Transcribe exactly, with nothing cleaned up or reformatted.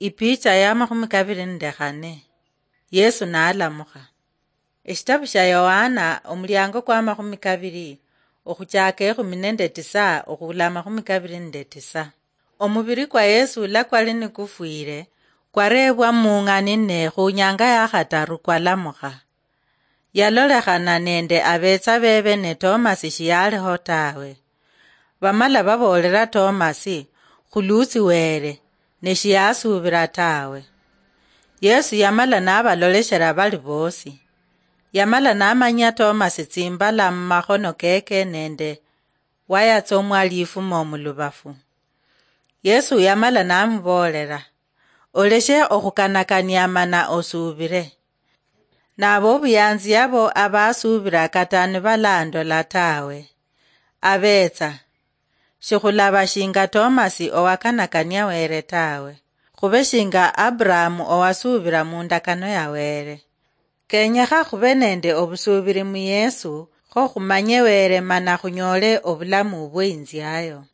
Ipicha ya makhumi kabiri nende khane. Yesu nalamukha. Eshitabu shia Yohana, omuliango kwa makhumi kabiri, okhuchaka ekhumi nende tisa okhula makhumi kabiri nende tisa. Omubiri kwa Yesu ula kwali nikufwire, kwarebwa mung'ani ne khunyanga ya khataru kwalamukha. Yalolekhana nende abetsa bebe ne Tomasi shiyaliho tawe. Bamala baboolera Tomasi, "Khuluutsi Wele," ne shiyasuubira tawe. Yesu yamala nabaloleshera bali boosi. Yamala namanyia Tomasi tsimbala mumakhono keke nende wayatsomwa lifuma omulubafu. Yesu yamala namuboolera, "Oleshe okhukanakania mana osuubire." Nabo obuyanzi abo abasuubira kata nibalandola tawe. Abetsa, shikhulaba shinga Tomasi owakanakania Wele tawe, khube shinga Abrahamu owasuubira mundakano ya Wele. Kenyekha khube nende obusuubiri mu Yesu, kho khumanye Wele mana khunyole obulamu bweinziayo.